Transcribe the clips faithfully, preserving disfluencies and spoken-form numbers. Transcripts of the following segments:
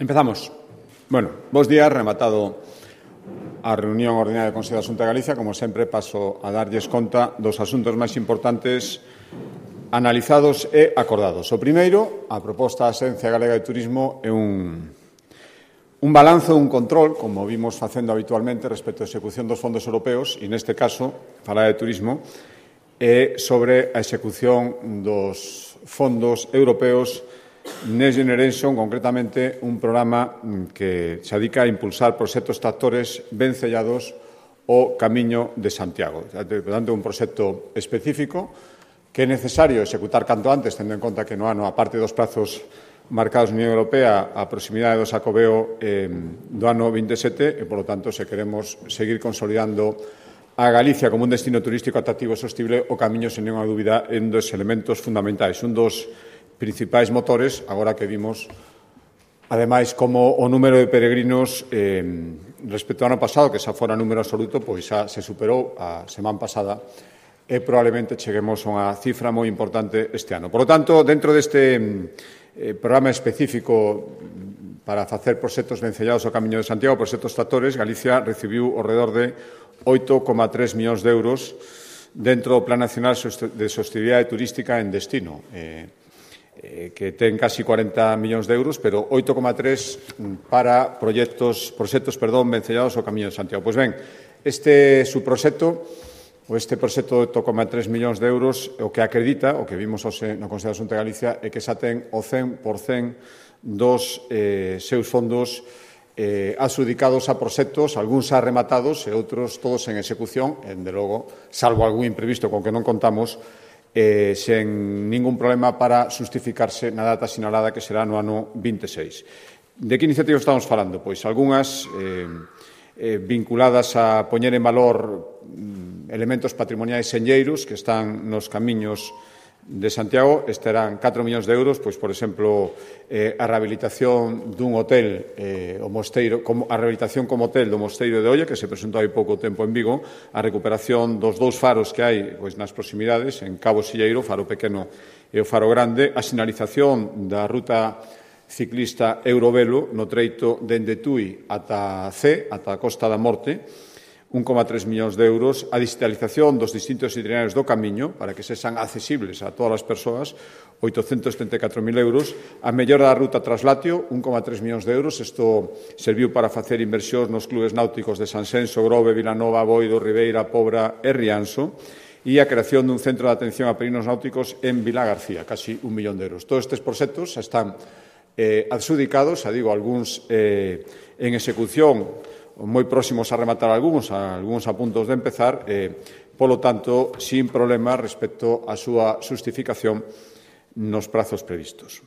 Empezamos. Bueno, bos días, rematado a reunión ordinaria do Consello da Xunta de Galicia. Como sempre, paso a darlles conta dos asuntos máis importantes analizados e acordados. O primeiro, a proposta da Axencia Galega de Turismo é un, un balanzo, un control, como vimos facendo habitualmente respecto á execución dos fondos europeos, e neste caso, falar de turismo, é sobre a execución dos fondos europeos Next Generation, concretamente un programa que se dedica a impulsar proxectos tractores ben sellados ao Camiño de Santiago. Por tanto, un proxecto específico que é necesario executar canto antes, tendo en conta que no ano, a parte dos prazos marcados na Unión Europea, a proximidade do Xacobeo eh, do ano vinte e sete, e, polo tanto, se queremos seguir consolidando a Galicia como un destino turístico atractivo e sostible, o Camiño, sen nenhuma dúbida, é un dos elementos fundamentais, un dos principais motores, agora que vimos, ademais, como o número de peregrinos eh, respecto ao ano pasado, que xa fora número absoluto, pois xa se superou a semana pasada e probablemente cheguemos a unha cifra moi importante este ano. Por lo tanto, dentro deste eh, programa específico para facer proxectos vencellados ao Camiño de Santiago, proxectos tractores, Galicia recibiu ao redor de oito coma tres millóns de euros dentro do Plan Nacional de Sostenibilidade Turística en destino, eh, que ten casi cuarenta millóns de euros, pero oito coma tres para proxectos, proxectos, perdón, vencellados ao Camiño de Santiago. Pois ben, este subproxecto, ou este proxecto de oito coma tres millóns de euros, o que acredita, o que vimos hoxe no Consello da Xunta de Galicia, é que xa ten o cen por cen dos eh, seus fondos eh, adxudicados a proxectos, algúns xa rematados e outros todos en execución, en de logo, salvo algún imprevisto con que non contamos, Eh, sen ningún problema para justificarse na data sinalada que será no ano vinte e seis. De que iniciativas estamos falando? Pois algunhas eh, eh, vinculadas a poñer en valor mm, elementos patrimoniais senlleiros que están nos camiños de Santiago. Estarán catro millóns de euros, pois, por exemplo, eh, a rehabilitación dun hotel, eh, o mosteiro, como, a rehabilitación como hotel do Mosteiro de Oia, que se presentou hai pouco tempo en Vigo, a recuperación dos dous faros que hai pois, nas proximidades, en Cabo Silleiro, o faro pequeno e o faro grande, a sinalización da ruta ciclista Eurovelo no treito dende Tui ata C, ata a Costa da Morte, un coma tres millóns de euros, a digitalización dos distintos itinerarios do camiño para que sexan accesibles a todas as persoas, oitocentos setenta e catro mil euros, a mellora da ruta Traslatio, un coma tres millóns de euros, isto serviu para facer inversións nos clubes náuticos de Sanxenxo, Grove, Vilanova, Boido, Ribeira, Pobra e Rianxo, e a creación dun centro de atención a peregrinos náuticos en Vila García, casi un millón de euros. Todos estes proxectos están eh, adxudicados, xa digo, algúns eh, en execución, moi próximos a rematar algúns, a algúns a puntos de empezar, eh, polo tanto, sin problema respecto á súa xustificación nos prazos previstos.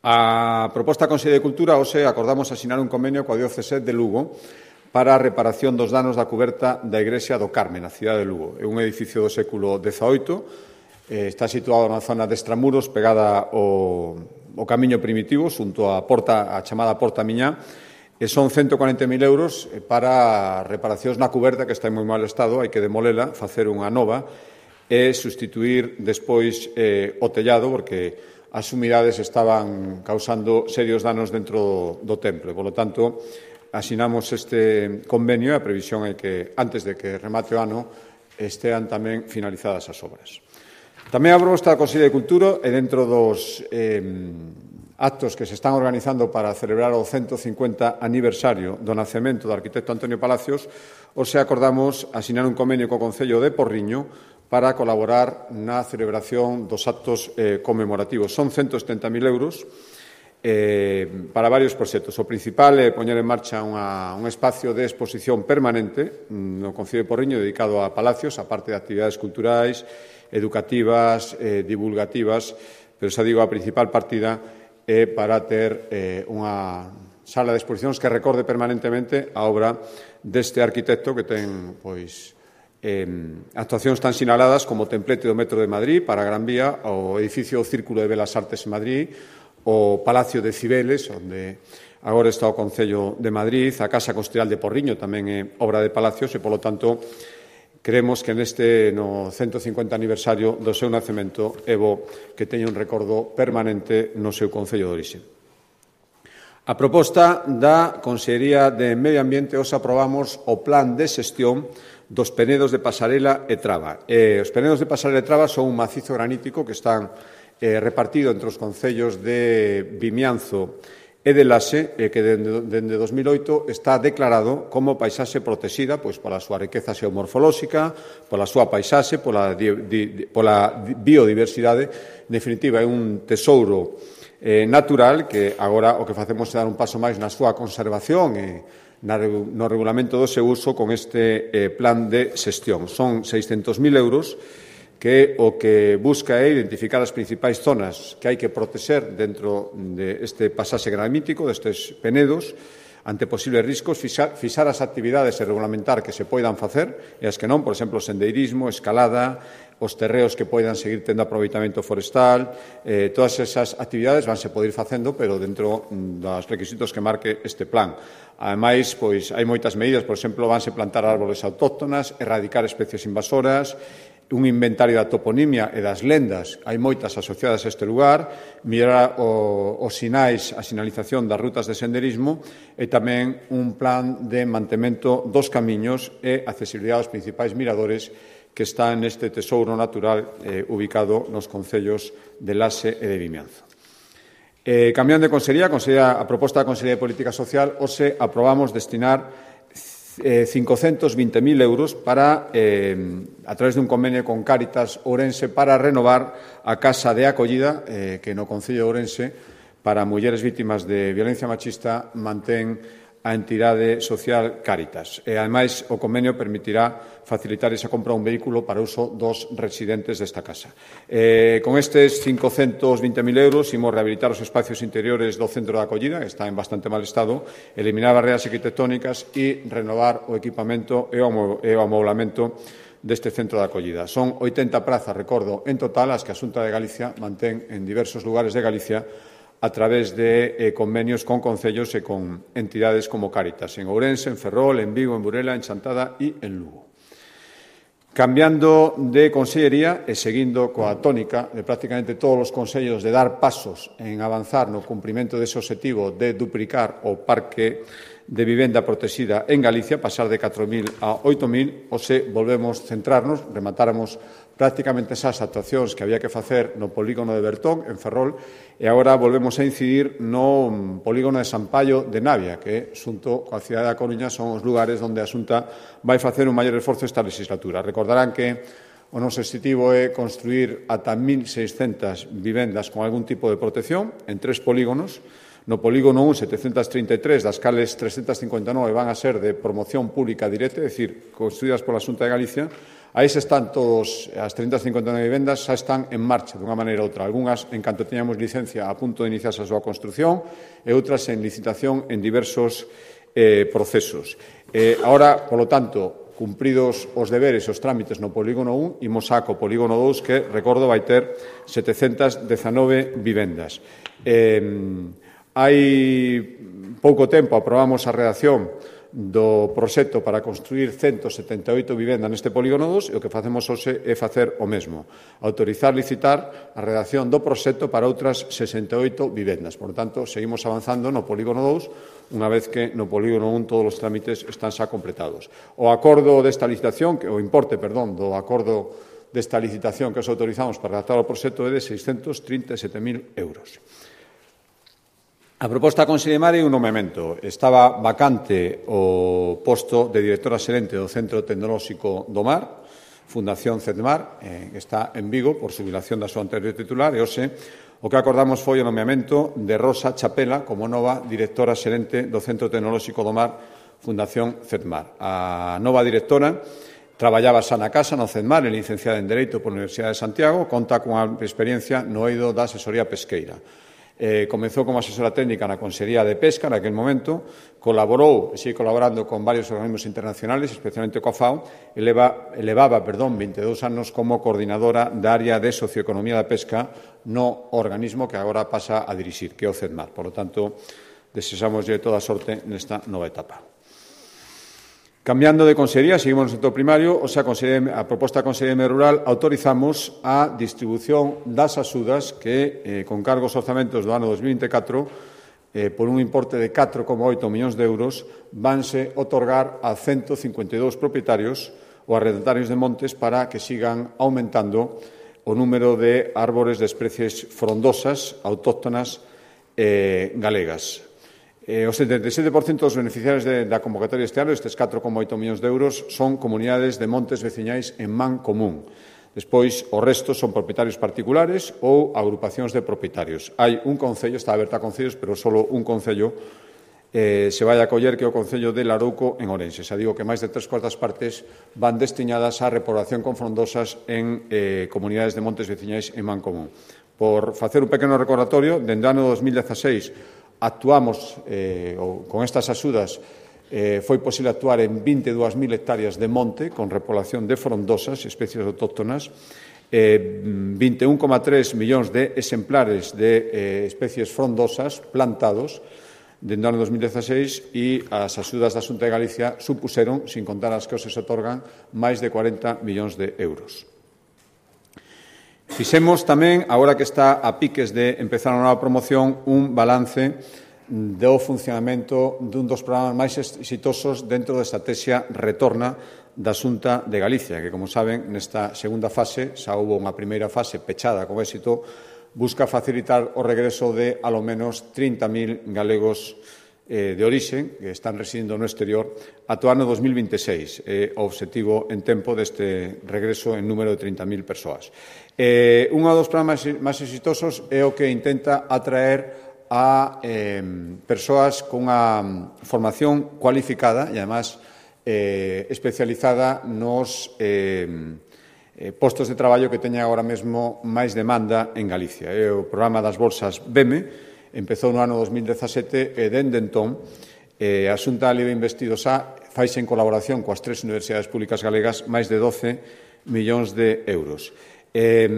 A proposta da Consellería de Cultura, hoxe acordamos asinar un convenio coa Diocese de Lugo para a reparación dos danos da cuberta da Igrexa do Carme, na cidade de Lugo. É un edificio do século dezaoito, eh, está situado na zona de Extramuros, pegada ao, ao camiño primitivo, xunto á porta, a chamada Porta Miñá, e son cento cuarenta mil euros para reparacións na cuberta, que está en moi mal estado, hai que demolela, facer unha nova e sustituir despois eh, o tellado, porque as humidades estaban causando serios danos dentro do, do templo. Por lo tanto, asinamos este convenio e a previsión é que, antes de que remate o ano, estean tamén finalizadas as obras. Tamén a proposta da Consellería de Cultura e dentro dos eh, actos que se están organizando para celebrar o ciento cincuenta aniversario do nacemento do arquitecto Antonio Palacios, hoxe acordamos asinar un convenio co Concello de Porriño para colaborar na celebración dos actos eh, conmemorativos. Son ciento setenta mil euros eh, para varios proxectos. O principal é poñer en marcha unha, un espacio de exposición permanente no Concello de Porriño dedicado a Palacios, a parte de actividades culturais, educativas, eh, divulgativas, pero xa digo, a principal partida é para ter eh, unha sala de exposicións que recorde permanentemente a obra deste arquitecto que ten pois, eh, actuacións tan sinaladas como o templete do Metro de Madrid para a Gran Vía, o edificio Círculo de Belas Artes en Madrid, o Palacio de Cibeles, onde agora está o Concello de Madrid, a Casa Costiral de Porriño tamén é obra de Palacios e, polo tanto, creemos que neste no ciento cincuenta aniversario do seu nacemento é bo que teña un recordo permanente no seu concello de orixe. A proposta da Consellería de Medio Ambiente os aprobamos o plan de xestión dos penedos de Pasarela e Traba. Eh, os penedos de Pasarela e Traba son un macizo granítico que están eh, repartido entre os concellos de Vimianzo e de Laxe, eh, que dende, dende dos mil oito está declarado como paisaxe protexida pois, pola súa riqueza xeomorfolóxica, pola súa paisaxe, pola, di, di, pola biodiversidade. En definitiva, é un tesouro eh, natural que agora o que facemos é dar un paso máis na súa conservación e na, no regulamento do seu uso con este eh, plan de xestión. Son seiscentos mil euros que o que busca é identificar as principais zonas que hai que protexer dentro deste pasaxe granítico, destes penedos, ante posibles riscos, fixar, fixar as actividades e regulamentar que se poidan facer e as que non, por exemplo, sendeirismo, escalada, os terreos que poidan seguir tendo aproveitamento forestal, eh, todas esas actividades vanse poder ir facendo, pero dentro dos requisitos que marque este plan. Ademais, pois, hai moitas medidas, por exemplo, vanse plantar árbores autóctonas, erradicar especies invasoras, un inventario da toponimia e das lendas, hai moitas asociadas a este lugar, mellorar os sinais, a sinalización das rutas de senderismo e tamén un plan de mantemento dos camiños e accesibilidade aos principais miradores que están neste tesouro natural eh, ubicado nos concellos de Laxe e de Vimianzo. Eh, cambiando de consellería, a, consellería, a proposta da Consellería de Política Social, hoxe aprobamos destinar Eh, cincocentos vinte mil euros para, eh, a través dun convenio con Cáritas Ourense para renovar a casa de acollida eh, que no Concello de Ourense para mulleres vítimas de violencia machista mantén a entidade social Cáritas. E, ademais, o convenio permitirá facilitar esa compra un vehículo para uso dos residentes desta casa. Eh, con estes cincocentos vinte mil euros imos rehabilitar os espacios interiores do centro de acollida, que está en bastante mal estado, eliminar barreras arquitectónicas e renovar o equipamento e o amoblamento deste centro de acollida. Son oitenta prazas, recordo, en total, as que a Xunta de Galicia mantén en diversos lugares de Galicia a través de eh, convenios con concellos e con entidades como Cáritas, en Ourense, en Ferrol, en Vigo, en Burela, en Chantada e en Lugo. Cambiando de consellería e seguindo coa tónica de prácticamente todos os consellos de dar pasos en avanzar no cumprimento dese obxectivo de duplicar o parque de vivenda protexida en Galicia, pasar de catro mil a oito mil, ou se volvemos centrarnos, rematáramos prácticamente esas actuacións que había que facer no polígono de Bertón, en Ferrol, e agora volvemos a incidir no polígono de Sampaio de Navia, que, xunto coa cidade da Coruña, son os lugares onde a Xunta vai facer un maior esforzo esta legislatura. Recordarán que o noso objetivo é construir ata mil seiscentas vivendas con algún tipo de protección en tres polígonos. No polígono un, setecentas trinta e tres, das cales trescentas cincuenta e nove van a ser de promoción pública directa, é dicir, construídas pola Xunta de Galicia. Aí se están todos, as trescentas cincuenta e nove vivendas xa están en marcha, dunha maneira ou outra. Algúnas, en canto teñamos licencia, a punto de iniciarse a súa construción, e outras en licitación en diversos eh, procesos. Eh, ahora, polo tanto, cumpridos os deberes e os trámites no polígono un, imos a co polígono dous, que, recordo, vai ter setecentas dezanove vivendas. Eh, Hai pouco tempo aprobamos a redacción do proxecto para construir ciento setenta e oito vivendas neste polígono dous e o que facemos hoxe é facer o mesmo, autorizar licitar a redacción do proxecto para outras sesenta e oito vivendas. Por tanto, seguimos avanzando no polígono dous, unha vez que no polígono un todos os trámites están xa completados. O acordo desta licitación, o importe, perdón, do acordo desta licitación que os autorizamos para redactar o proxecto é de seiscentos trinta e sete mil euros. A proposta da Consellería é un nomeamento. Estaba vacante o posto de directora xerente do Centro Tecnolóxico do Mar, Fundación CEDMAR, eh, que está en Vigo por xubilación da súa anterior titular, e hoxe o que acordamos foi o nomeamento de Rosa Chapela como nova directora xerente do Centro Tecnolóxico do Mar, Fundación CEDMAR. A nova directora traballaba xa na casa, no CEDMAR, é licenciada en Dereito pola Universidade de Santiago, conta cunha experiencia no eido da asesoría pesqueira. Eh, comezou como asesora técnica na Consellería de Pesca naquele momento, colaborou e sigue colaborando con varios organismos internacionales, especialmente coa FAO, e leva, elevaba perdón, vinte e dous anos como coordinadora da área de socioeconomía da pesca no organismo que agora pasa a dirixir, que é o CEDMAR. Por lo tanto, desexamoslle toda a sorte nesta nova etapa. Cambiando de consellería, seguimos no sector primario, o sea, a proposta da Consellería de Medio Rural, autorizamos a distribución das axudas que, eh, con cargos orzamentos do ano dos mil vinte e catro, eh, por un importe de catro coma oito millóns de euros, vanse otorgar a ciento cincuenta e dous propietarios ou arrendatarios de montes para que sigan aumentando o número de árbores de especies frondosas autóctonas eh, galegas. Eh, o setenta e sete por cento dos beneficiarios de, da convocatoria este ano, estes catro coma oito millóns de euros, son comunidades de montes veciñais en man común. Despois, o resto son propietarios particulares ou agrupacións de propietarios. Hai un concello, está aberta a concellos, pero só un concello eh, se vai a coller, que é o concello de Larouco en Ourense. Xa digo que máis de tres cuartas partes van destinadas á repoblación con frondosas en eh, comunidades de montes veciñais en man común. Por facer un pequeno recordatorio, dende o ano dos mil dieciséis actuamos eh, ou, con estas axudas. Eh, foi posible actuar en vinte e dúas mil hectáreas de monte con repoblación de frondosas, especies autóctonas, eh, vinte e un coma tres millóns de exemplares de eh, especies frondosas plantados dende o ano dos mil dieciséis, e as axudas da Xunta de Galicia supuseron, sin contar as que se otorgan, máis de cuarenta millóns de euros. Fixemos tamén, agora que está a piques de empezar a nova promoción, un balance do funcionamento dun dos programas máis exitosos dentro da estrategia Retorna da Xunta de Galicia, que, como saben, nesta segunda fase, xa houve unha primeira fase pechada con éxito, busca facilitar o regreso de, alo menos, trinta mil galegos eh, de orixe que están residindo no exterior ata o ano dos mil veintiséis, eh, o obxectivo en tempo deste regreso en número de trinta mil persoas. Eh, un dos programas máis exitosos é o que intenta atraer a eh, persoas cunha formación cualificada e, además, eh, especializada nos eh, eh, postos de traballo que teña agora mesmo máis demanda en Galicia. É o programa das bolsas B E M E, empezou no ano dos mil dezasete e, dende entón, eh, a Xunta Libre Investidos A faise en colaboración coas tres universidades públicas galegas máis de doce millóns de euros. Eh,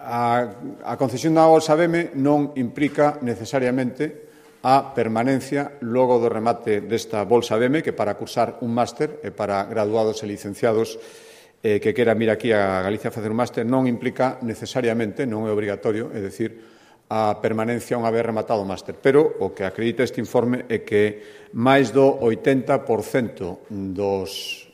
A, a concesión da bolsa B E M E non implica necesariamente a permanencia logo do remate desta bolsa B E M E, que para cursar un máster e para graduados e licenciados eh, que queran vir aquí a Galicia a facer un máster non implica necesariamente, non é obrigatorio, é dicir, a permanencia unha vez rematado o máster. Pero o que acredita este informe é que máis do oitenta por cento dos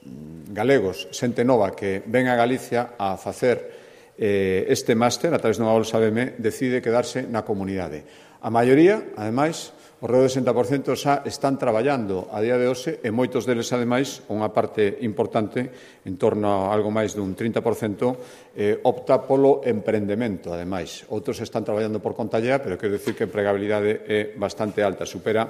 galegos, xente nova que ven a Galicia a facer este máster, a través dunha bolsa B E M E, decide quedarse na comunidade. A maioría, ademais, o redor do sesenta por cento xa están traballando a día de hoxe, e moitos deles, ademais, unha parte importante, en torno a algo máis dun trinta por cento, eh, opta polo emprendemento, ademais. Outros están traballando por conta allea, pero quero dicir que a empregabilidade é bastante alta, supera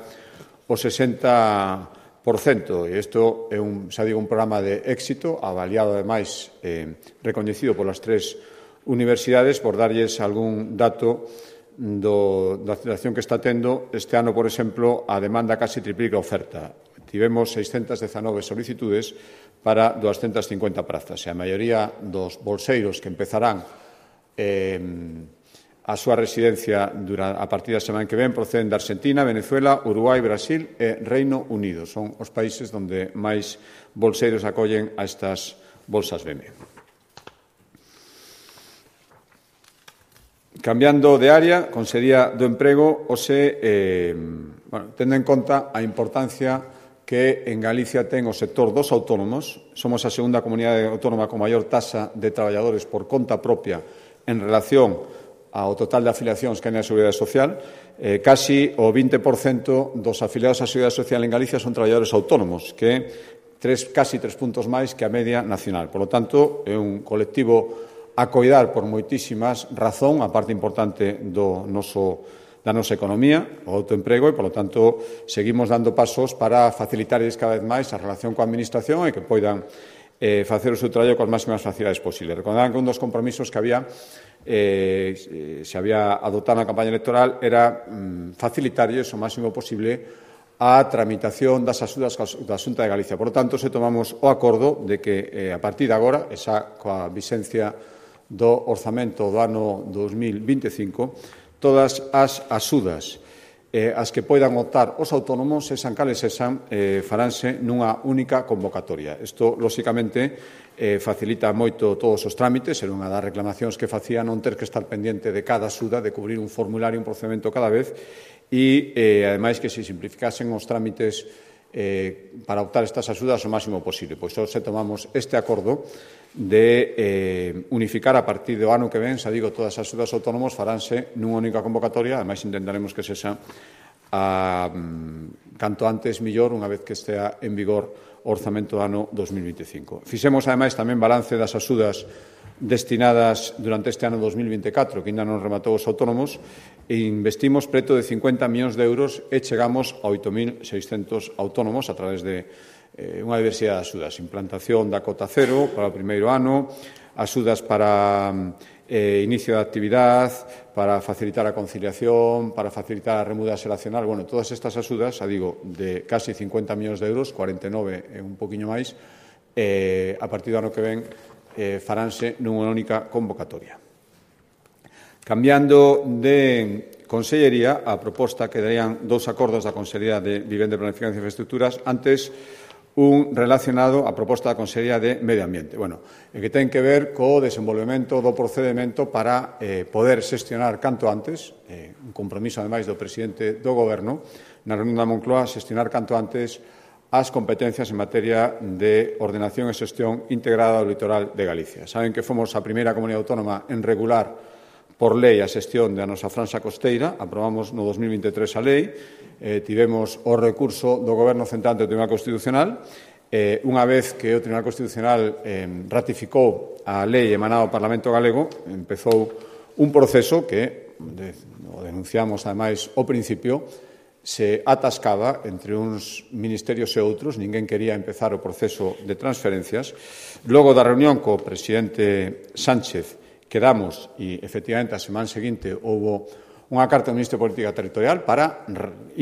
o sesenta por cento. E isto é un, xa digo, un programa de éxito, avaliado, ademais, eh, recoñecido polas tres universidades. Por darlles algún dato do, da situación que está tendo, este ano, por exemplo, a demanda casi triplica a oferta. Tivemos seiscentas dezanove solicitudes para doscientas cincuenta prazas, e a maioría dos bolseiros que empezarán eh, a súa residencia durante, a partir da semana que ven, proceden de Argentina, Venezuela, Uruguai, Brasil e Reino Unido. Son os países onde máis bolseiros acollen a estas bolsas B E M E. Cambiando de área, Consellería do Emprego, hoxe, eh, bueno, tendo en conta a importancia que en Galicia ten o sector dos autónomos, somos a segunda comunidade autónoma con maior taxa de traballadores por conta propia en relación ao total de afiliacións que hai na Seguridade Social. Eh, casi o vinte por cento dos afiliados á Seguridade Social en Galicia son traballadores autónomos, que é tres, casi tres puntos máis que a media nacional. Por lo tanto, é un colectivo a coidar por moitísimas razón, a parte importante do noso, da nosa economía, o autoemprego, e, polo tanto, seguimos dando pasos para facilitarles cada vez máis a relación coa Administración e que poidan eh, facer o seu traballo coas máximas facilidades posibles. Recordaban que un dos compromisos que había, eh, se había adoptado na campaña electoral, era mm, facilitarlles o máximo posible a tramitación das axudas da Xunta de Galicia. Por lo tanto, se tomamos o acordo de que, eh, a partir de agora, esa coa vixencia do orzamento do ano dos mil vinte e cinco, todas as axudas eh, as que poidan optar os autónomos, sexan cales sexan, eh, faránse nunha única convocatoria. Isto, lóxicamente, eh, facilita moito todos os trámites, era unha das reclamacións que facía non ter que estar pendente de cada axuda, de cubrir un formulario, un procedimento cada vez, e, eh, ademais, que se simplificasen os trámites eh, para optar estas axudas o máximo posible. Pois se tomamos este acordo de eh, unificar a partir do ano que ven, xa digo, todas as axudas autónomos faránse nunha única convocatoria, ademais intentaremos que sexa a, canto antes millor, unha vez que estea en vigor o orzamento do ano dos mil veinticinco. Fixemos, ademais, tamén balance das axudas destinadas durante este ano dos mil veinticatro, que ainda non rematou os autónomos, e investimos preto de cincuenta millóns de euros e chegamos a oito mil seiscentos autónomos a través de eh, unha diversidade de axudas. Implantación da cota cero para o primeiro ano, axudas para eh, inicio de actividade, para facilitar a conciliación, para facilitar a remuda xeracional. Bueno, todas estas axudas, xa digo, de casi cincuenta millóns de euros, cuarenta e nove e un poquinho máis, eh, a partir do ano que ven eh, faránse nunha única convocatoria. Cambiando de Consellería, a proposta quedarían dous acordos da Consellería de Vivenda, Planificación e Infraestructuras. Antes, un relacionado á proposta da Consellería de Medio Ambiente. Bueno, e que ten que ver co desenvolvemento do procedimento para eh, poder xestionar canto antes, eh, un compromiso, ademais, do presidente do Goberno, na reunión da Moncloa, xestionar canto antes as competencias en materia de ordenación e xestión integrada do litoral de Galicia. Saben que fomos a primeira comunidade autónoma en regular por lei a xestión da nosa franxa costeira, aprobamos no dos mil veintitrés a lei, eh, tivemos o recurso do Goberno central ante o Tribunal Constitucional, eh, unha vez que o Tribunal Constitucional eh, ratificou a lei emanada ao Parlamento Galego, empezou un proceso que, de, o denunciamos ademais ao principio, se atascaba entre uns ministerios e outros, ninguén quería empezar o proceso de transferencias. Logo da reunión co presidente Sánchez, quedamos, e efectivamente a semana seguinte houbo unha carta do Ministro de Política Territorial para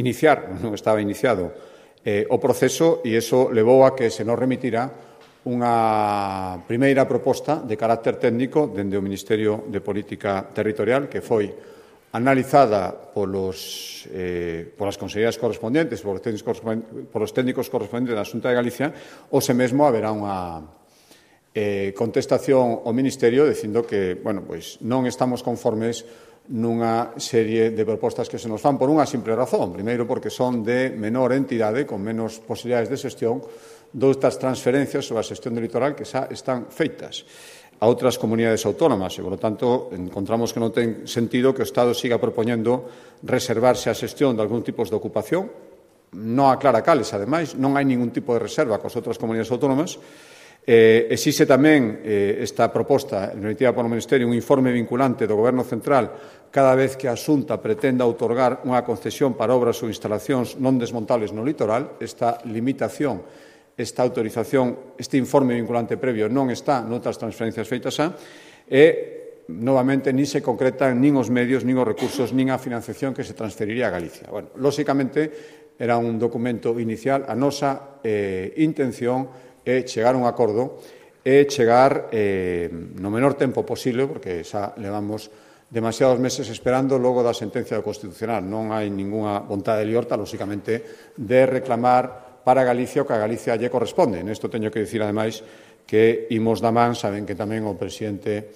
iniciar, non estaba iniciado, eh, o proceso, e iso levou a que se nos remitira unha primeira proposta de carácter técnico dende o Ministerio de Política Territorial, que foi analizada polos, eh, polas consellerías correspondentes, polos técnicos correspondentes, polos técnicos correspondentes da Xunta de Galicia, ou se mesmo haberá unha Eh, contestación ao Ministerio dicindo que, bueno, pois non estamos conformes nunha serie de propostas que se nos fan por unha simple razón. Primeiro, porque son de menor entidade, con menos posibilidades de xestión, doutras transferencias sobre a xestión do litoral que xa están feitas a outras comunidades autónomas e, por lo tanto, encontramos que non ten sentido que o Estado siga propoñendo reservarse a xestión de algún tipo de ocupación. Non aclara cales, ademais, non hai ningún tipo de reserva cos outras comunidades autónomas. Eh, existe tamén eh, esta proposta, remitida polo Ministerio, un informe vinculante do Goberno Central cada vez que a Xunta pretenda outorgar unha concesión para obras ou instalacións non desmontables no litoral. Esta limitación, esta autorización, este informe vinculante previo non está noutras transferencias feitas xa e, novamente, nin se concretan nin os medios, nin os recursos, nin a financiación que se transferiría a Galicia. Bueno, lóxicamente, era un documento inicial. A nosa eh, intención é chegar a un acordo e chegar eh, no menor tempo posible, porque xa levamos demasiados meses esperando logo da sentencia do Constitucional. Non hai ningunha vontade de liorta, lóxicamente, de reclamar para Galicia o que a Galicia lle corresponde. Nesto teño que dicir, ademais, que imos da man, saben que tamén o presidente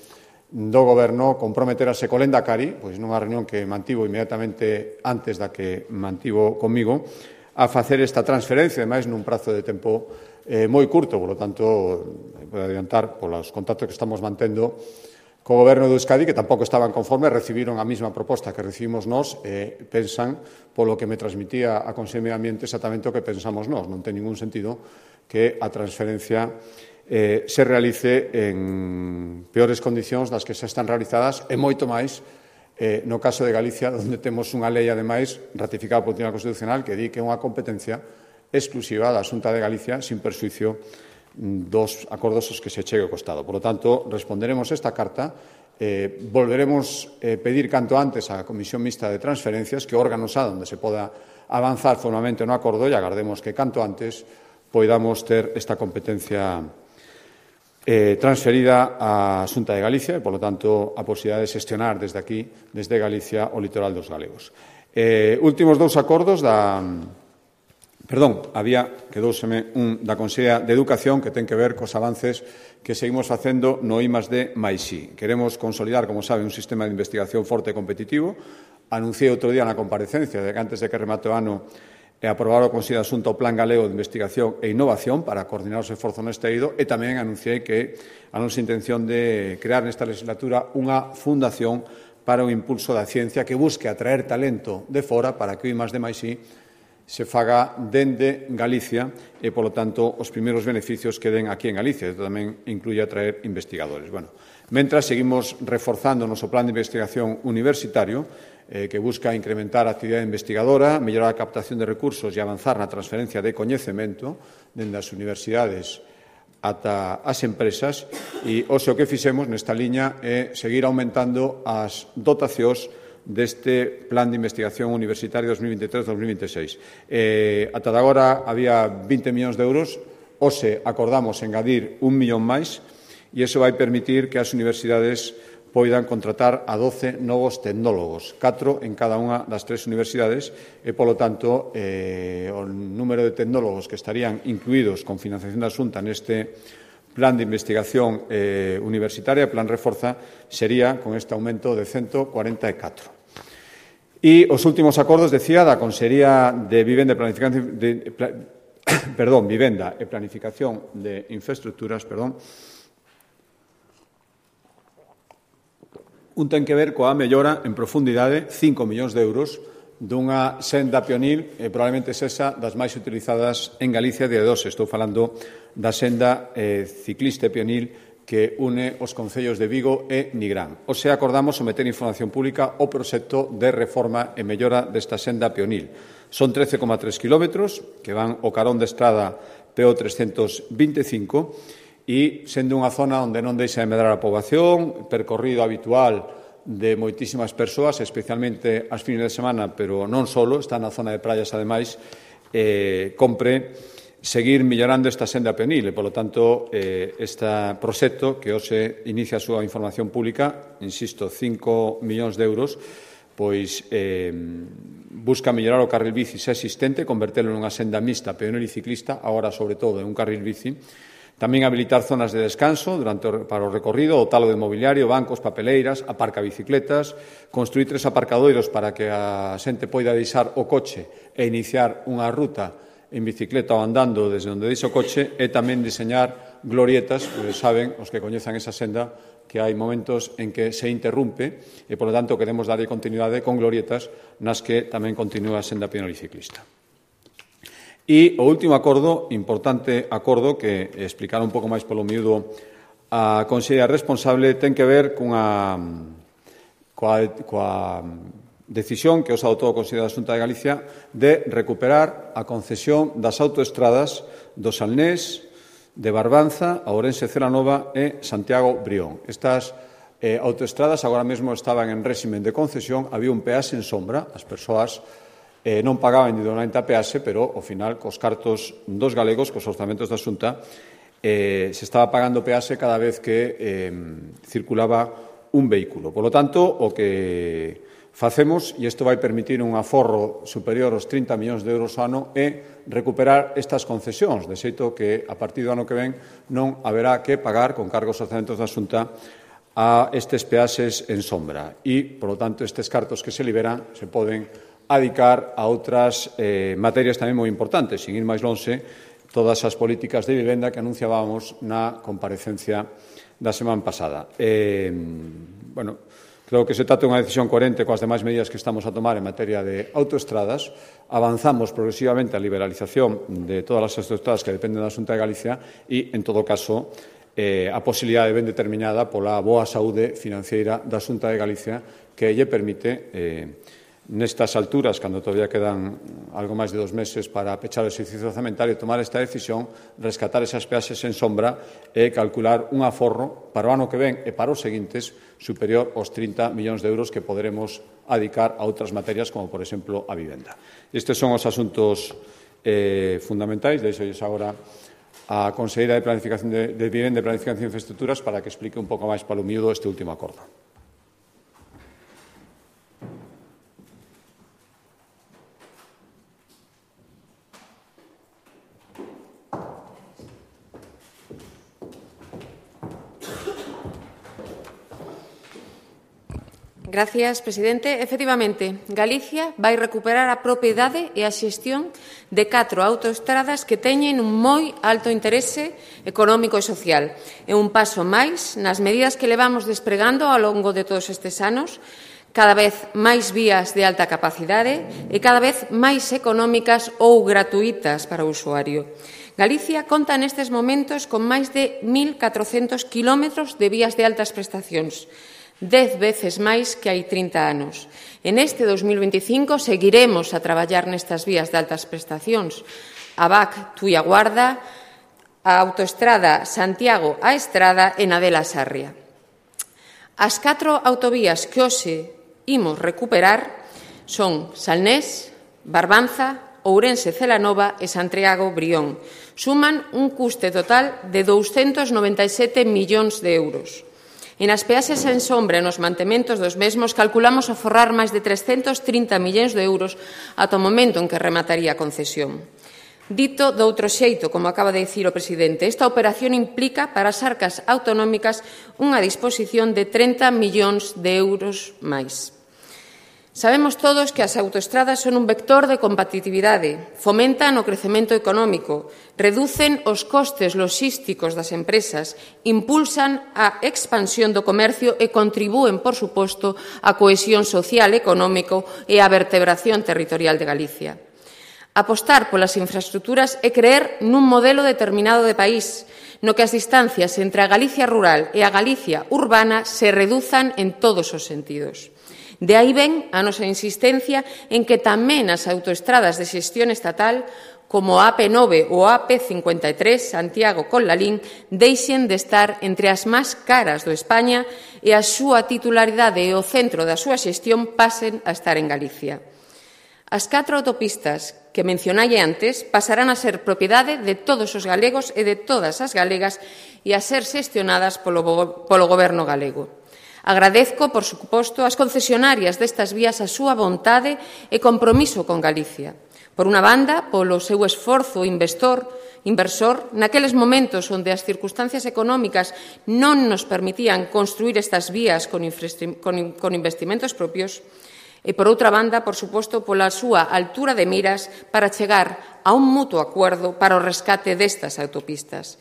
do Goberno comprometerase co Lendakari, pois nunha reunión que mantivo inmediatamente antes da que mantivo comigo, a facer esta transferencia, ademais, nun prazo de tempo Eh, moi curto, por lo tanto, podo adiantar polos contactos que estamos mantendo co Goberno do Euskadi, que tampouco estaban conformes, recibiron a mesma proposta que recibimos nós e pensan, polo que me transmitía a Consello de Medio Ambiente, exactamente o que pensamos nós. Non ten ningún sentido que a transferencia eh, se realice en peores condicións das que xa están realizadas e moito máis eh, no caso de Galicia, onde temos unha lei, ademais, ratificada polo Tribunal Constitucional, que di que é unha competencia exclusiva da Xunta de Galicia sin perxuízo dos acordos aos que se chegue ao Estado. Por lo tanto, responderemos esta carta, eh, volveremos a eh, pedir canto antes á Comisión Mixta de Transferencias, que órgano xa onde se poda avanzar formalmente no acordo, e agardemos que canto antes poidamos ter esta competencia eh, transferida á Xunta de Galicia e, polo tanto, a posibilidade de xestionar desde aquí, desde Galicia, o litoral dos galegos. Eh, últimos dous acordos da... Perdón, había, quedouseme un da Consellería de Educación que ten que ver cos avances que seguimos facendo no I más D máis I. Queremos consolidar, como sabe, un sistema de investigación forte e competitivo. Anunciei outro día na comparecencia de que antes de que remate o ano e aprobar o Consello de Asunto o Plan Galego de Investigación e Innovación para coordinar os esforzos neste eido e tamén anunciei que a nosa intención de crear nesta legislatura unha fundación para o impulso da ciencia que busque atraer talento de fora para que o I más D máis I se faga dende Galicia e, polo tanto, os primeiros beneficios queden aquí en Galicia. Isto tamén incluye atraer investigadores. Bueno, mentras seguimos reforzando o noso plan de investigación universitario eh, que busca incrementar a actividade investigadora, mellorar a captación de recursos e avanzar na transferencia de coñecemento dende as universidades ata as empresas e o xo que fixemos nesta liña é seguir aumentando as dotacións deste Plan de Investigación Universitaria dos mil veintitrés dos mil veintiséis. Eh, ata de agora había vinte millóns de euros, hoxe acordamos engadir un millón máis e iso vai permitir que as universidades poidan contratar a doce novos tecnólogos, catro en cada unha das tres universidades e, polo tanto, eh, o número de tecnólogos que estarían incluídos con financiación da Xunta neste Plan de Investigación eh, Universitaria, Plan Reforza, sería con este aumento de ciento cuarenta e catro. E os últimos acordos, decía, da Consellería de Vivenda e Planificación de, pla, perdón, Vivenda e Planificación de Infraestructuras, perdón, un ten que ver coa mellora en profundidade, cinco millóns de euros, dunha senda pionil, e probablemente sexa das máis utilizadas en Galicia de dos. Estou falando da senda eh, ciclista pionil que une os concellos de Vigo e Nigrán. O sea, acordamos someter información pública o proxecto de reforma e mellora desta senda pionil. Son trece coma tres kilómetros que van o carón de estrada P O trescentos veinticinco e sendo unha zona onde non deixa de medrar a poboación, percorrido habitual de moitísimas persoas, especialmente as fines de semana, pero non solo, está na zona de praias, ademais, eh, compre seguir mellorando esta senda pionil e, polo tanto, eh, este proxecto que hoxe inicia a súa información pública, insisto, cinco millóns de euros, pois eh, busca mellorar o carril bici xa existente, convertelo nunha senda mixta pionil e ciclista, agora, sobre todo, en un carril bici. Tamén habilitar zonas de descanso durante o, para o recorrido, o talo de mobiliario, bancos, papeleiras, aparca bicicletas, construir tres aparcadoiros para que a xente poida deixar o coche e iniciar unha ruta en bicicleta ou andando desde onde deixa o coche e tamén diseñar glorietas, porque saben, os que coñezan esa senda, que hai momentos en que se interrumpe e, por lo tanto, queremos darlle continuidade con glorietas nas que tamén continúa a senda pionil e ciclista. E o último acordo, importante acordo, que explicar un pouco máis polo miúdo a Consellería responsable, ten que ver cunha, coa, coa decisión que os adoptou o Consello da Xunta de Galicia de recuperar a concesión das autoestradas do Salnés, de Barbanza, a Ourense Celanova e Santiago Brión. Estas eh, autoestradas agora mesmo estaban en réximen de concesión, había un peaxe en sombra, as persoas eh, non pagaban individualmente a peaxe, pero, ao final, cos cartos dos galegos, cos orzamentos da Xunta, eh, se estaba pagando peaxe cada vez que eh, circulaba un vehículo. Por lo tanto, o que facemos, e isto vai permitir un aforro superior aos trinta millóns de euros ao ano, é recuperar estas concesións, de xeito que a partir do ano que ven non haberá que pagar con cargos orzamentos da Xunta a estes peaxes en sombra. E, por lo tanto, estes cartos que se liberan se poden adicar a outras eh, materias tamén moi importantes, sin ir máis lonxe, todas as políticas de vivenda que anunciábamos na comparecencia da semana pasada. Eh, bueno, creo que se trata de unha decisión coherente coas demais medidas que estamos a tomar en materia de autoestradas. Avanzamos progresivamente a liberalización de todas as autoestradas que dependen da Xunta de Galicia e, en todo caso, eh, a posibilidade ben determinada pola boa saúde financeira da Xunta de Galicia que lle permite, eh, nestas alturas, cando todavía quedan algo máis de dos meses para pechar o exercicio orzamentario, tomar esta decisión, rescatar esas peaxes en sombra e calcular un aforro para o ano que ven e para os seguintes superior aos trinta millóns de euros que poderemos adicar a outras materias, como, por exemplo, a vivenda. Estes son os asuntos eh, fundamentais, deixolles agora a Conselleira de Planificación de, de Vivenda e Planificación de Infraestructuras para que explique un pouco máis palo miúdo este último acordo. Gracias, presidente. Efectivamente, Galicia vai recuperar a propiedade e a xestión de catro autoestradas que teñen un moi alto interese económico e social. É un paso máis nas medidas que levamos despregando ao longo de todos estes anos, cada vez máis vías de alta capacidade e cada vez máis económicas ou gratuitas para o usuario. Galicia conta nestes momentos con máis de mil catrocentos kilómetros de vías de altas prestacións, dez veces máis que hai trinta anos. En este dos mil veinticinco seguiremos a traballar nestas vías de altas prestacións. A V A C Tuia Guarda, a autoestrada Santiago a Estrada e Nadela Sarria. As catro autovías que hoxe imos recuperar son Salnés, Barbanza, Ourense Celanova e Santiago Brión. Suman un custe total de douscentos noventa e sete millóns de euros. E nas peaxes en sombra e nos mantementos dos mesmos calculamos aforrar máis de trescentos trinta millóns de euros ata o momento en que remataría a concesión. Dito doutro xeito, como acaba de dicir o presidente, esta operación implica para as arcas autonómicas unha disposición de trinta millóns de euros máis. Sabemos todos que as autoestradas son un vector de competitividade, fomentan o crecemento económico, reducen os costes logísticos das empresas, impulsan a expansión do comercio e contribúen, por suposto, á cohesión social, económico e á vertebración territorial de Galicia. Apostar polas infraestructuras é creer nun modelo determinado de país, no que as distancias entre a Galicia rural e a Galicia urbana se reduzan en todos os sentidos. De aí ven a nosa insistencia en que tamén as autoestradas de xestión estatal, como a AP nove ou a AP cincuenta e tres, Santiago con Lalín, deixen de estar entre as máis caras do España e a súa titularidade e o centro da súa xestión pasen a estar en Galicia. As catro autopistas que mencionai antes pasarán a ser propiedade de todos os galegos e de todas as galegas e a ser xestionadas polo, polo Goberno galego. Agradezco, por suposto, ás concesionarias destas vías a súa vontade e compromiso con Galicia. Por unha banda, polo seu esforzo investor, inversor, naqueles momentos onde as circunstancias económicas non nos permitían construir estas vías con, con, con investimentos propios, e, por outra banda, por suposto, pola súa altura de miras para chegar a un mutuo acordo para o rescate destas autopistas.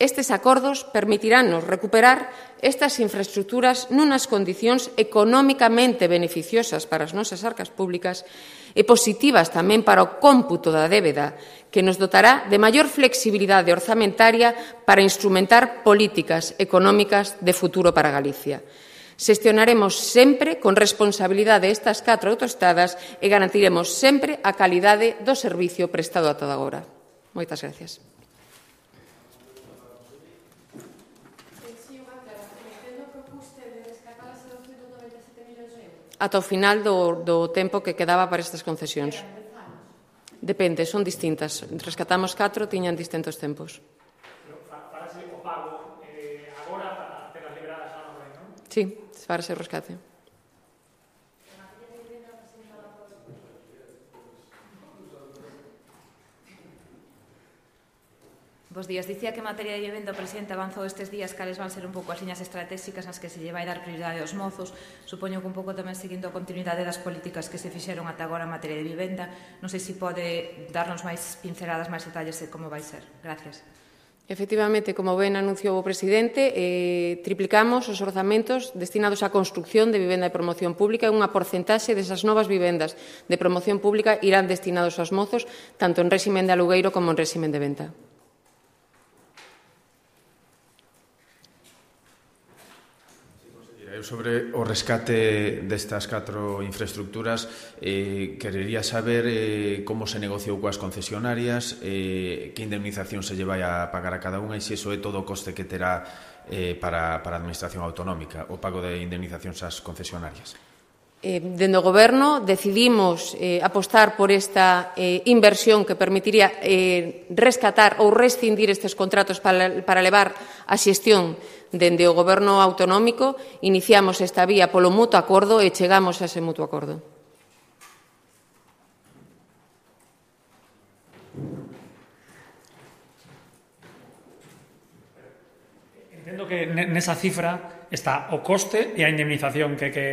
Estes acordos permitirannos recuperar estas infraestructuras nunas condicións económicamente beneficiosas para as nosas arcas públicas e positivas tamén para o cómputo da débeda, que nos dotará de maior flexibilidade orzamentaria para instrumentar políticas económicas de futuro para Galicia. Xestionaremos sempre con responsabilidade estas catro autoestradas e garantiremos sempre a calidade do servicio prestado ata agora. Moitas gracias. Ata o final do, do tempo que quedaba para estas concesións. Depende, son distintas. Rescatamos catro, tiñan distintos tempos. Farase o pago eh, agora para telas liberadas a nova, non? Sí, farase o rescate. Bos días. Dicía que en materia de vivenda o presidente avanzou estes días cales van ser un pouco as liñas estratégicas nas que se lle vai dar prioridade aos mozos. Supoño que un pouco tamén seguindo a continuidade das políticas que se fixeron ata agora en materia de vivenda. Non sei se pode darnos máis pinceladas, máis detalles de como vai ser. Gracias. Efectivamente, como ben anunciou o presidente, eh, triplicamos os orzamentos destinados á construcción de vivenda de promoción pública e unha porcentaxe desas novas vivendas de promoción pública irán destinados aos mozos, tanto en réximen de alugueiro como en réximen de venta. Eu sobre o rescate destas catro infraestructuras eh, querería saber eh, como se negociou coas concesionarias, eh, que indemnización se lle vai a pagar a cada unha e se iso é todo o coste que terá eh, para, para a Administración Autonómica, o pago de indemnizacións ás concesionarias. Eh, dende o Goberno decidimos eh, apostar por esta eh, inversión que permitiría eh, rescatar ou rescindir estes contratos para, para levar a xestión dende o Goberno autonómico. Iniciamos esta vía polo mutuo acordo e chegamos a ese mutuo acordo. Entendo que nesa cifra está o coste e a indemnización que que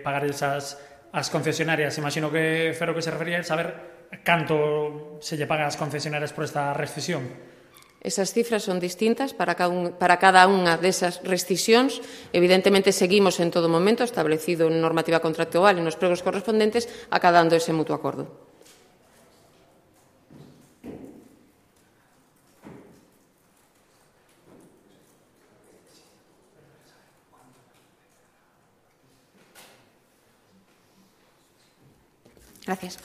pagar esas as concesionarias. Imagino que Fero que se refería a saber canto se lle paga ás concesionarias por esta rescisión. Esas cifras son distintas para cada, un, para cada unha desas rescisións. Evidentemente, seguimos en todo momento establecido en normativa contractual e nos pregos correspondentes acadando ese mutuo acordo. Gracias.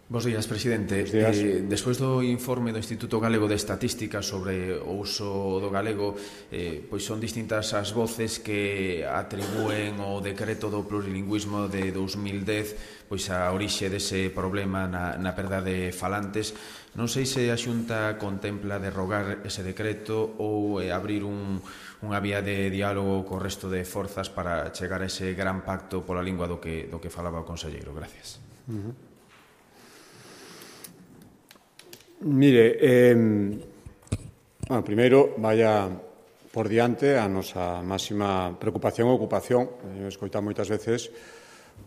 Bos días, presidente. Bos días. Eh, despois do informe do Instituto Galego de Estatística sobre o uso do galego, eh, pois son distintas as voces que atribúen o decreto do plurilingüismo de dous mil dez pois a orixe dese problema na, na perda de falantes. Non sei se a Xunta contempla derrogar ese decreto ou eh, abrir un, unha vía de diálogo co resto de forzas para chegar a ese gran pacto pola lingua do que, do que falaba o conselleiro. Gracias. Uh-huh. Mire, eh, bueno, primeiro, vaya por diante a nosa máxima preocupación e ocupación, eu escoito moitas veces,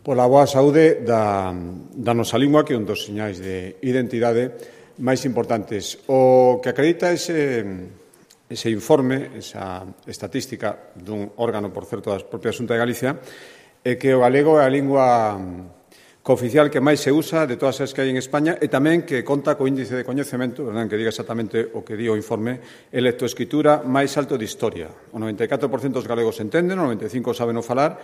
pola boa saúde da, da nosa lingua, que é un dos señais de identidade máis importantes. O que acredita ese, ese informe, esa estatística dun órgano, por certo, da propia Xunta de Galicia, é que o galego é a lingua cooficial que máis se usa de todas as que hai en España e tamén que conta co índice de coñecemento, verdad, que diga exactamente o que di o informe, e lectoescritura máis alto de historia. O noventa e catro por cento dos galegos entenden, o noventa e cinco por cento saben o falar,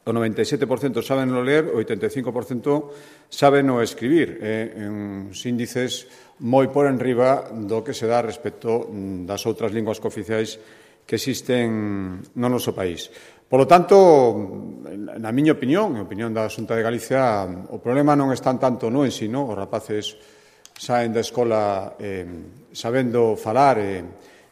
o noventa e sete por cento saben o ler, o oitenta e cinco por cento saben o escribir, eh, en uns índices moi por enriba do que se dá respecto das outras linguas cooficiais que existen no noso país. Por lo tanto, na miña opinión, a opinión da Xunta de Galicia, o problema non está tanto no ensino, os rapaces saen da escola eh, sabendo falar e eh,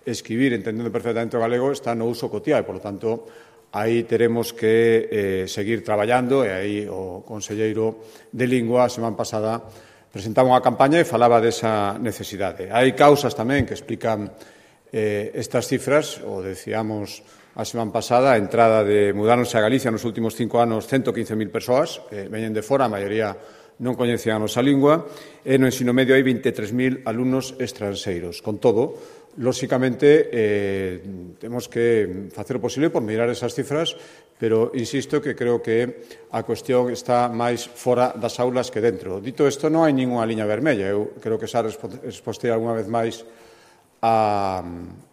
escribir, entendendo perfectamente o galego, está no uso cotiá e, por lo tanto, aí teremos que eh, seguir traballando e aí o conselleiro de Lingua a semana pasada presentaba unha campaña e falaba desa necesidade. Hai causas tamén que explican eh, estas cifras, o decíamos a semana pasada, a entrada de mudaronse a Galicia nos últimos cinco anos ciento quince mil persoas, eh, veñen de fora, a maioría non coñecían a nosa lingua, e no ensino medio hai vinte e tres mil alumnos estranxeiros. Con todo, lóxicamente, eh, temos que facer o posible por mirar esas cifras, pero insisto que creo que a cuestión está máis fora das aulas que dentro. Dito isto, non hai ninguna liña vermella. Eu creo que xa respostei algunha vez máis a,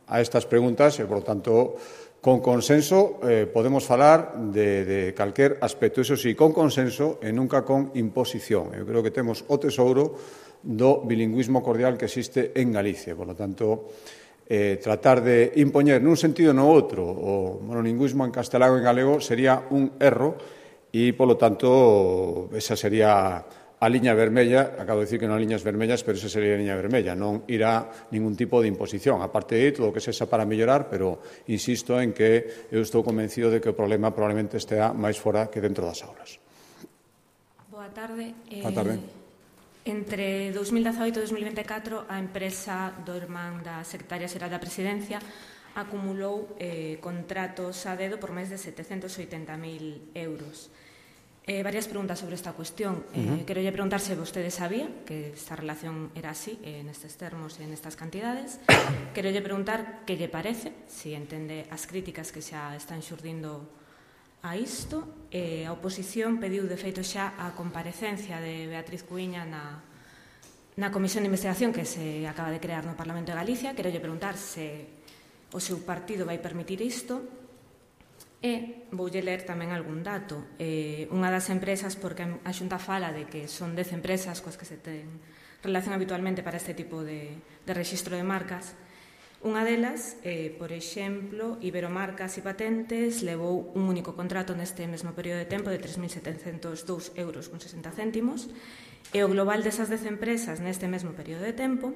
a estas preguntas e, por lo tanto, con consenso eh, podemos falar de, de calquer aspecto, iso sí, con consenso e nunca con imposición. Eu creo que temos o tesouro do bilingüismo cordial que existe en Galicia. Por lo tanto, eh, tratar de impoñer nun sentido no outro o monolingüismo en castelán e en galego sería un erro e, por lo tanto, esa sería a liña vermella. Acabo de decir que non hai liñas vermellas, pero esa sería a liña vermella. Non irá ningún tipo de imposición. A parte de todo o que sexa para mellorar, pero insisto en que eu estou convencido de que o problema probablemente estea máis fora que dentro das aulas. Boa tarde. Eh, Boa tarde. Entre dous mil dezaoito e dous mil vinte e catro, a empresa do irmán da secretaria xeral da Presidencia acumulou eh, contratos a dedo por máis de setecentos oitenta mil euros. Eh, varias preguntas sobre esta cuestión. Eh, uh -huh. Quero lle preguntar se vostede sabía que esta relación era así, eh, nestes termos e nestas cantidades. Quero lle preguntar que lle parece, se entende as críticas que xa están xurdindo a isto. Eh, a oposición pediu de feito xa a comparecencia de Beatriz Cuíña na, na Comisión de Investigación que se acaba de crear no Parlamento de Galicia. Quero lle preguntar se o seu partido vai permitir isto. E voulle ler tamén algún dato. Eh, unha das empresas, porque a Xunta fala de que son dez empresas coas que se ten relación habitualmente para este tipo de, de rexistro de marcas. Unha delas, eh, por exemplo, Iberomarcas e Patentes levou un único contrato neste mesmo período de tempo de tres mil setecentos dous euros con sesenta céntimos e o global desas dez empresas neste mesmo período de tempo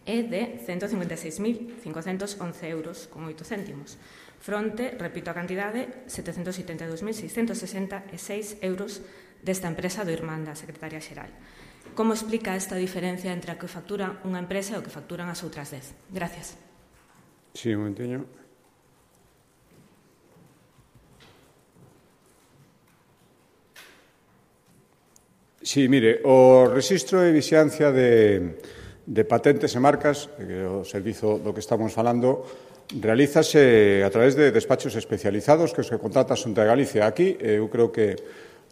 é de ciento cincuenta e seis mil cincocentos once euros con oito céntimos. Fronte, repito a cantidade, setecentos setenta e dous mil seiscentos sesenta e seis euros desta empresa do irmán da Secretaria Xeral. Como explica esta diferencia entre a que factura unha empresa e o que facturan as outras dez? Gracias. Sí, un momentinho. Sí, mire, o rexistro de vixiancia de, de patentes e marcas, que é o servizo do que estamos falando, realízase a través de despachos especializados que os que contrata a Xunta de Galicia. Aquí, eu creo que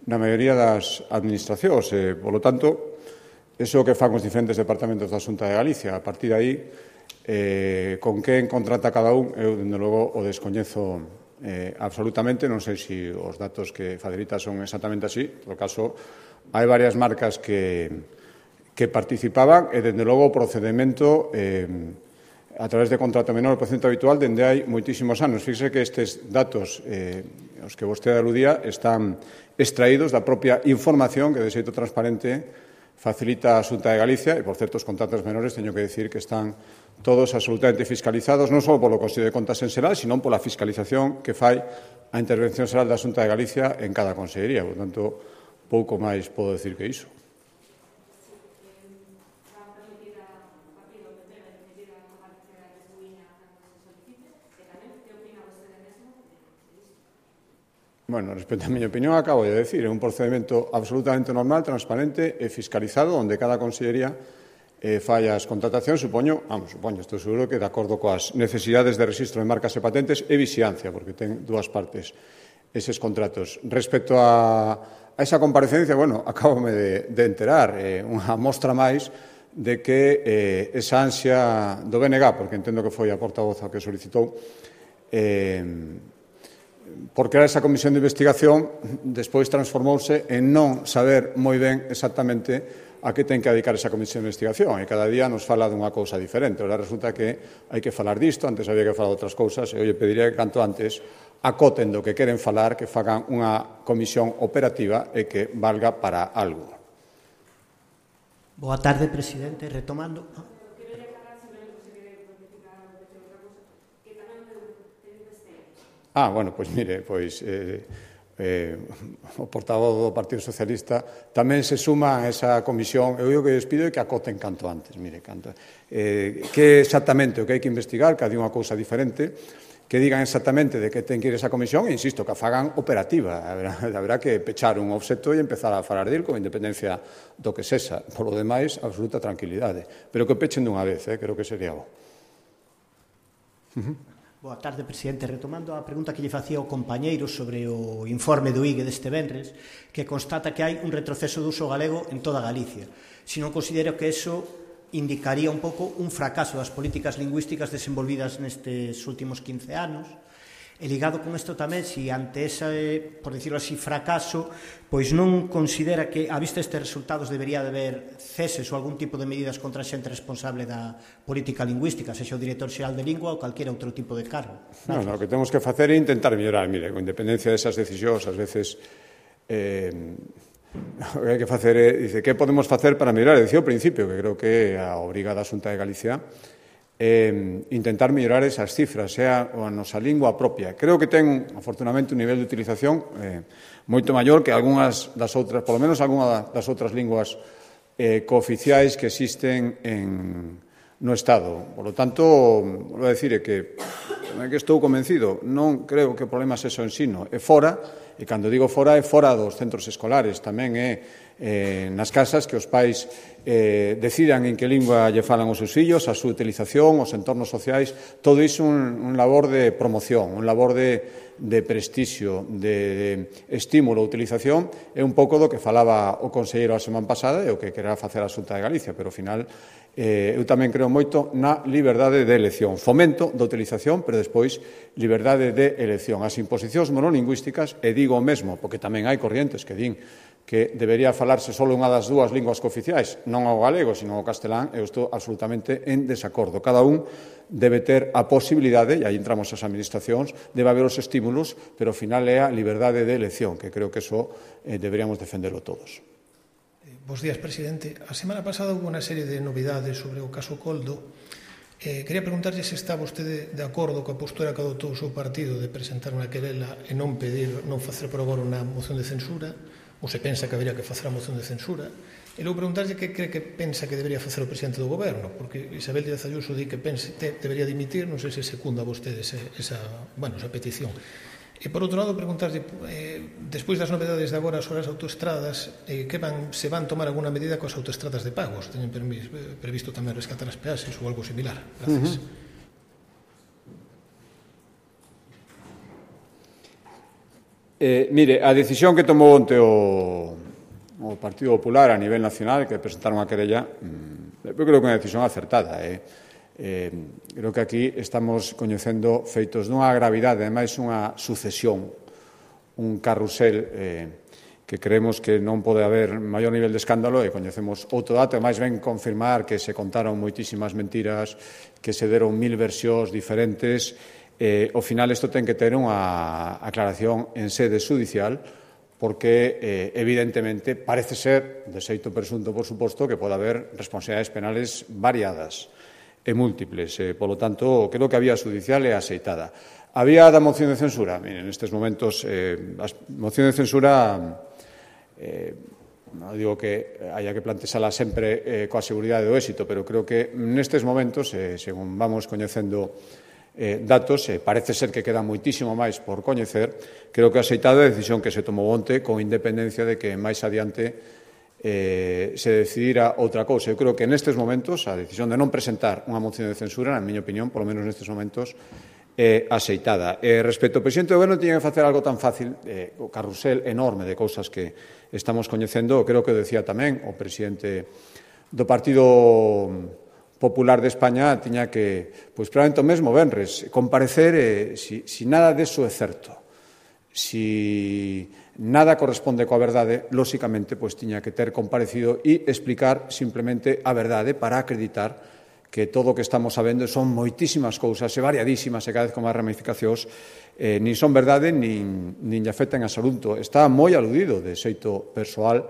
na maioría das administracións, e, polo tanto, iso que fan os diferentes departamentos da Xunta de Galicia. A partir de aí, eh, con quen contrata cada un, eu, dende logo, o descoñezo eh, absolutamente. Non sei se os datos que facilita son exactamente así. En todo caso, hai varias marcas que, que participaban e, dende logo, o procedimento eh, a través de contrato menor o procedimento habitual dende hai moitísimos anos. Fíxese que estes datos eh, os que vostede aludía están extraídos da propia información que, de xeito transparente, facilita a Xunta de Galicia, e, por certo, os contratos menores, teño que decir que están todos absolutamente fiscalizados, non só polo Consello de Contas en xeral, sino pola fiscalización que fai a Intervención Xeral da Xunta de Galicia en cada consellería. Por tanto, pouco máis podo decir que iso. Bueno, respecto a miña opinión, acabo de decir, é un procedimento absolutamente normal, transparente e fiscalizado, onde cada consellería eh, fai as contratacións, supoño, vamos, supoño, estou seguro que de acordo coas necesidades de rexistro de marcas e patentes e vixiancia, porque ten dúas partes eses contratos. Respecto a, a esa comparecencia, bueno, acabome de, de enterar, eh, unha mostra máis de que eh, esa ansia do B N G, porque entendo que foi a portavoz a que solicitou, eh, por crear esa comisión de investigación, despois transformouse en non saber moi ben exactamente a que ten que dedicar esa comisión de investigación, e cada día nos fala dunha cousa diferente. Ora resulta que hai que falar disto, antes había que falar de outras cousas, e eu pediría que canto antes acoten do que queren falar, que fagan unha comisión operativa e que valga para algo. Boa tarde, presidente. Retomando... Ah, bueno, pois mire, pois eh, eh, o portavoz do Partido Socialista tamén se suma a esa comisión. Eu o que les pido é que acoten canto antes, mire, canto. Eh, que exactamente o que hai que investigar, que hai unha cousa diferente, que digan exactamente de que ten que ir esa comisión, e insisto, que a fagan operativa. Haberá, haberá que pechar un obxecto e empezar a falar dele con independencia do que sexa. Por lo demais, absoluta tranquilidade. Pero que pechen dunha vez, eh, creo que sería bo. Uh-huh. Boa tarde, presidente. Retomando a pregunta que lle facía o compañeiro sobre o informe do I G E deste venres, que constata que hai un retroceso do uso galego en toda Galicia. Si non considero que eso indicaría un pouco un fracaso das políticas lingüísticas desenvolvidas nestes últimos quince anos, e ligado con isto tamén, si ante ese, por decirlo así, fracaso, pois non considera que, a vista estes resultados, debería de haber ceses ou algún tipo de medidas contra a xente responsable da política lingüística, sexa o director xeral de lingua ou calquera outro tipo de cargo. Non, no, o que temos que facer é intentar mellorar, mire, con independencia desas decisións, ás veces eh, o que hai que facer é, dice, que podemos facer para mellorar? Dicía ao principio, que creo que a obriga da Xunta de Galicia eh, intentar mellorar esas cifras, sea a nosa lingua propia. Creo que ten, afortunadamente, un nivel de utilización eh, moito maior que algunhas das outras, polo menos algunhas das outras linguas eh, cooficiais que existen en, no Estado. Por lo tanto, vou a decir que, que estou convencido, non creo que o problema sexa o ensino, e fora, e cando digo fora é fora dos centros escolares, tamén é eh, nas casas que os pais eh, decidan en que lingua lle falan os seus fillos, a súa utilización, os entornos sociais, todo iso un, un labor de promoción, un labor de, de prestixio, de, de estímulo a utilización, é un pouco do que falaba o conselleiro a semana pasada e o que quererá facer a Xunta de Galicia, pero ao final eh, eu tamén creo moito na liberdade de elección, fomento da utilización, pero despois liberdade de elección. As imposicións monolingüísticas, e digo o mesmo, porque tamén hai corrientes que din que debería falarse só unha das dúas linguas cooficiais, non ao galego, sino ao castelán, eu estou absolutamente en desacordo. Cada un debe ter a posibilidade, e aí entramos as administracións, debe haber os estímulos, pero ao final é a liberdade de elección, que creo que eso eh, deberíamos defenderlo todos. Bos días, presidente. A semana pasada houve unha serie de novidades sobre o caso Coldo. Eh, quería preguntarlle se está vostede de acordo coa postura que adotou o seu partido de presentar unha querela e non pedir, non facer por agora unha moción de censura, ou se pensa que habería que facer a moción de censura, e logo preguntarlle que cree que pensa que debería facer o presidente do goberno, porque Isabel Díaz Ayuso di que pense, te, debería dimitir, non sei se secunda vostede esa, esa, bueno, esa petición. E por outro lado, preguntarlle, eh, despois das novedades de agora sobre as autoestradas, eh, que van, se van tomar alguna medida coas autoestradas de pagos? Teñen permis, previsto tamén rescatar as peaxes ou algo similar? Gracias. Uh-huh. Eh, mire, a decisión que tomou onte o, o Partido Popular a nivel nacional, que presentaron a querella, eu creo que é unha decisión acertada. Eh. Eh, creo que aquí estamos coñecendo feitos dunha gravidade, ademais unha sucesión, un carrusel eh, que creemos que non pode haber maior nivel de escándalo, e coñecemos outro dato, e máis ben confirmar que se contaron moitísimas mentiras, que se deron mil versións diferentes. Eh, ao final isto ten que ter unha aclaración en sede judicial, porque eh, evidentemente parece ser, de xeito presunto por suposto, que pode haber responsabilidades penales variadas e múltiples. Eh, polo tanto, creo que a vía judicial é aceitada. A vía da moción de censura, miren, nestes momentos, eh, a moción de censura, eh, non digo que haya que plantexala sempre eh, coa seguridade do éxito, pero creo que nestes momentos, eh, según vamos coñecendo Eh, datos, eh, parece ser que queda moitísimo máis por coñecer. Creo que aceitado a decisión que se tomou onte, con independencia de que máis adiante eh, se decidira outra cousa. Eu creo que nestes momentos a decisión de non presentar unha moción de censura, na miña opinión, polo menos nestes momentos, é aceitada. Eh, respecto ao presidente do goberno, tiña que facer algo tan fácil, eh, o carrusel enorme de cousas que estamos coñecendo. Creo que o decía tamén o presidente do Partido Popular de España, tiña que, pois probablemente o mesmo venres, comparecer eh, si, si nada deso é certo, si nada corresponde coa verdade, lóxicamente, pois tiña que ter comparecido e explicar simplemente a verdade para acreditar que todo o que estamos sabendo son moitísimas cousas e variadísimas e cada vez con máis ramificacións, eh, nin son verdade nin, nin lle afectan a saúde. Está moi aludido de xeito persoal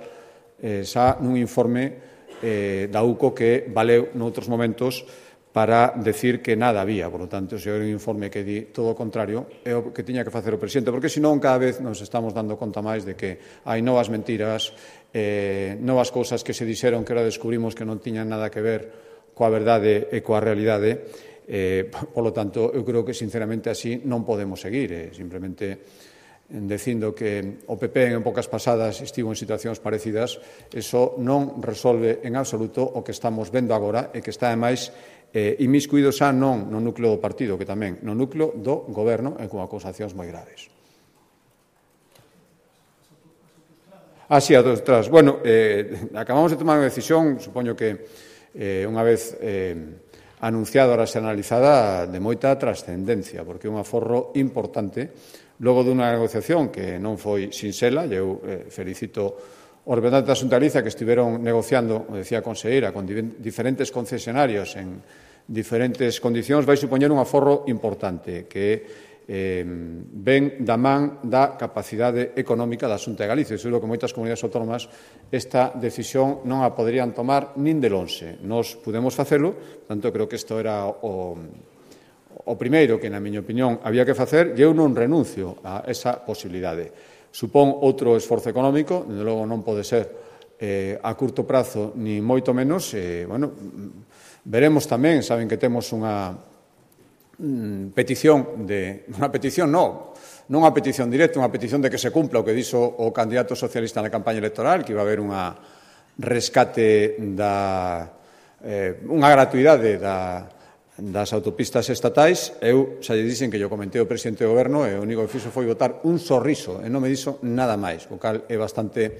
eh, xa nun informe Eh, da U C O que valeu noutros momentos para decir que nada había. Por lo tanto, se era un informe que di todo o contrario, é o que tiña que facer o presidente, porque senón cada vez nos estamos dando conta máis de que hai novas mentiras, eh, novas cousas que se dixeron que ahora descubrimos que non tiñan nada que ver coa verdade e coa realidade. Eh, por lo tanto, eu creo que sinceramente así non podemos seguir. Eh, simplemente dicindo que o P P en épocas pasadas estivo en situacións parecidas, eso non resolve en absoluto o que estamos vendo agora e que está, ademais, eh, inmiscuído xa non no núcleo do partido, que tamén no núcleo do goberno e con acusacións moi graves. Ah, sí, a dos tras. Bueno, eh, acabamos de tomar unha decisión, supoño que eh, unha vez eh, anunciada, ahora se analizada, de moita trascendencia, porque é un aforro importante. Logo dunha negociación que non foi sinxela, e eu eh, felicito os representantes da Xunta de Galicia que estiveron negociando, o decía a conselleira, con diferentes concesionarios en diferentes condicións, vai supoñer un aforro importante que eh, ven da man da capacidade económica da Xunta de Galicia. Seguro que moitas comunidades autónomas esta decisión non a poderían tomar nin de lonxe. Nos pudemos facelo, tanto creo que isto era o O primeiro que, na miña opinión, había que facer, e eu non renuncio a esa posibilidade. Supón outro esforzo económico, desde logo non pode ser eh, a curto prazo, ni moito menos. Eh, bueno, veremos tamén, saben que temos unha mm, petición de... Unha petición, non, non unha petición directa, unha petición de que se cumpla o que dixo o candidato socialista na campaña electoral, que iba a haber unha rescate da eh, unha gratuidade da, das autopistas estatais. Eu xa lle dixen que yo comentei o presidente do goberno e o único que fixo foi botar un sorriso e non me dixo nada máis, o cal é bastante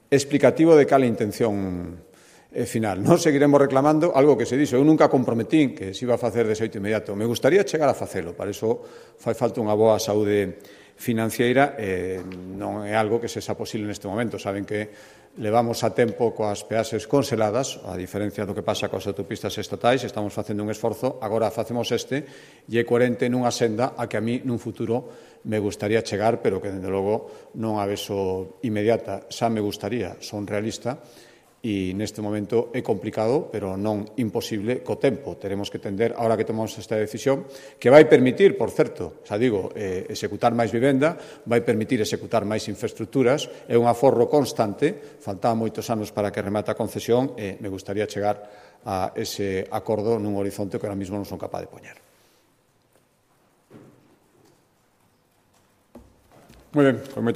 explicativo de cal a intención E final, non seguiremos reclamando algo que se dixo. Eu nunca comprometín que se iba a facer de xeito inmediato. Me gustaría chegar a facelo, para iso fai falta unha boa saúde financiera e non é algo que se xa posible neste momento. Saben que levamos a tempo coas peaxes conseladas, a diferencia do que pasa coas autopistas estatais, estamos facendo un esforzo, agora facemos este e é coherente nunha senda a que a mí nun futuro me gustaría chegar, pero que, dende logo, non a vexo inmediata. Xa me gustaría, son realista, e neste momento é complicado, pero non imposible co tempo. Teremos que tender, ahora que tomamos esta decisión, que vai permitir, por certo, xa digo, eh, executar máis vivenda, vai permitir executar máis infraestructuras, é un aforro constante, faltaban moitos anos para que remate a concesión e me gustaría chegar a ese acordo nun horizonte que ahora mismo non son capaz de poñer. Moi ben, con moita